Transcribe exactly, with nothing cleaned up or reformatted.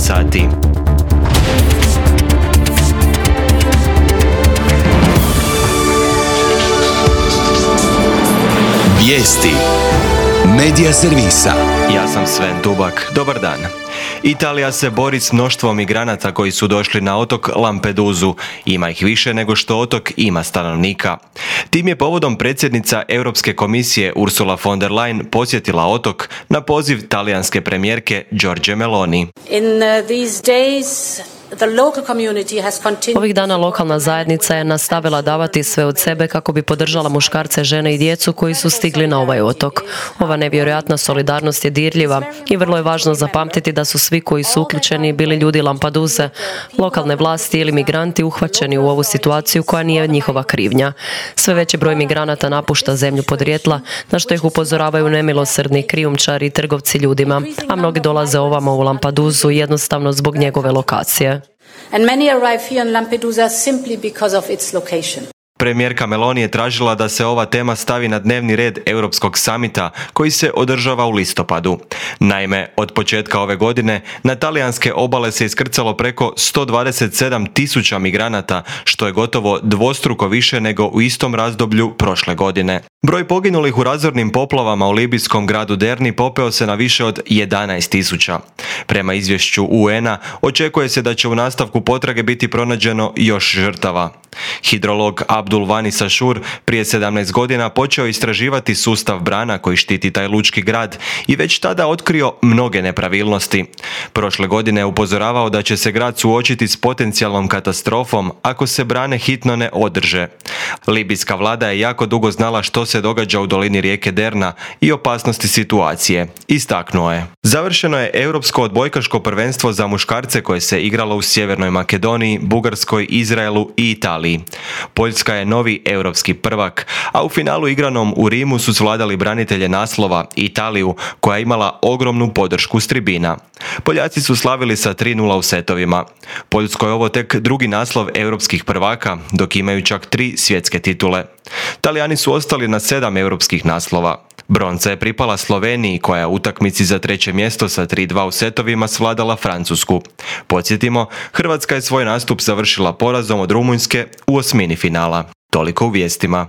sati. Vijesti Medija servisa. Ja sam Sven Dubak. Dobar dan. Italija se bori s mnoštvom migranata koji su došli na otok Lampedusu. Ima ih više nego što otok ima stanovnika. Tim je povodom predsjednica Europske komisije Ursula von der Leyen posjetila otok na poziv talijanske premijerke Giorgie Meloni. In uh, these days The local community has continued... Ovih dana lokalna zajednica je nastavila davati sve od sebe kako bi podržala muškarce, žene i djecu koji su stigli na ovaj otok. Ova nevjerojatna solidarnost je dirljiva i vrlo je važno zapamtiti da su svi koji su uključeni bili ljudi Lampeduse, lokalne vlasti ili migranti uhvaćeni u ovu situaciju koja nije njihova krivnja. Sve veći broj migranata napušta zemlju podrijetla, na što ih upozoravaju nemilosrdni krijumčari i trgovci ljudima, a mnogi dolaze ovamo u Lampedusu jednostavno zbog njegove lokacije. And many arrive here in Lampedusa simply because of its location. Premijerka Meloni je tražila da se ova tema stavi na dnevni red Europskog samita koji se održava u listopadu. Naime, od početka ove godine na talijanske obale se iskrcalo preko sto dvadeset sedam tisuća migranata, što je gotovo dvostruko više nego u istom razdoblju prošle godine. Broj poginulih u razornim poplavama u libijskom gradu Derni popeo se na više od jedanaest tisuća. Prema izvješću U N-a očekuje se da će u nastavku potrage biti pronađeno još žrtava. Hidrolog Abdul Vani Sashur prije sedamnaest godina počeo istraživati sustav brana koji štiti taj lučki grad i već tada otkrio mnoge nepravilnosti. Prošle godine je upozoravao da će se grad suočiti s potencijalnom katastrofom ako se brane hitno ne održe. Libijska vlada je jako dugo znala što se događa u dolini rijeke Derna i opasnosti situacije, istaknuo je. Završeno je europsko odbojkaško prvenstvo za muškarce koje se igralo u Sjevernoj Makedoniji, Bugarskoj, Izraelu i Italiji. Poljska je novi europski prvak, a u finalu igranom u Rimu su svladali branitelje naslova Italiju, koja je imala ogromnu podršku s tribina. Poljaci su slavili sa tri nula u setovima. Poljskoj je ovo tek drugi naslov europskih prvaka, dok imaju čak tri svjetske titule. Talijani su ostali na sedam europskih naslova. Bronca je pripala Sloveniji, koja je u utakmici za treće mjesto sa tri dva u setovima svladala Francusku. Podsjetimo, Hrvatska je svoj nastup završila porazom od Rumunjske u osmini finala. Toliko u vijestima.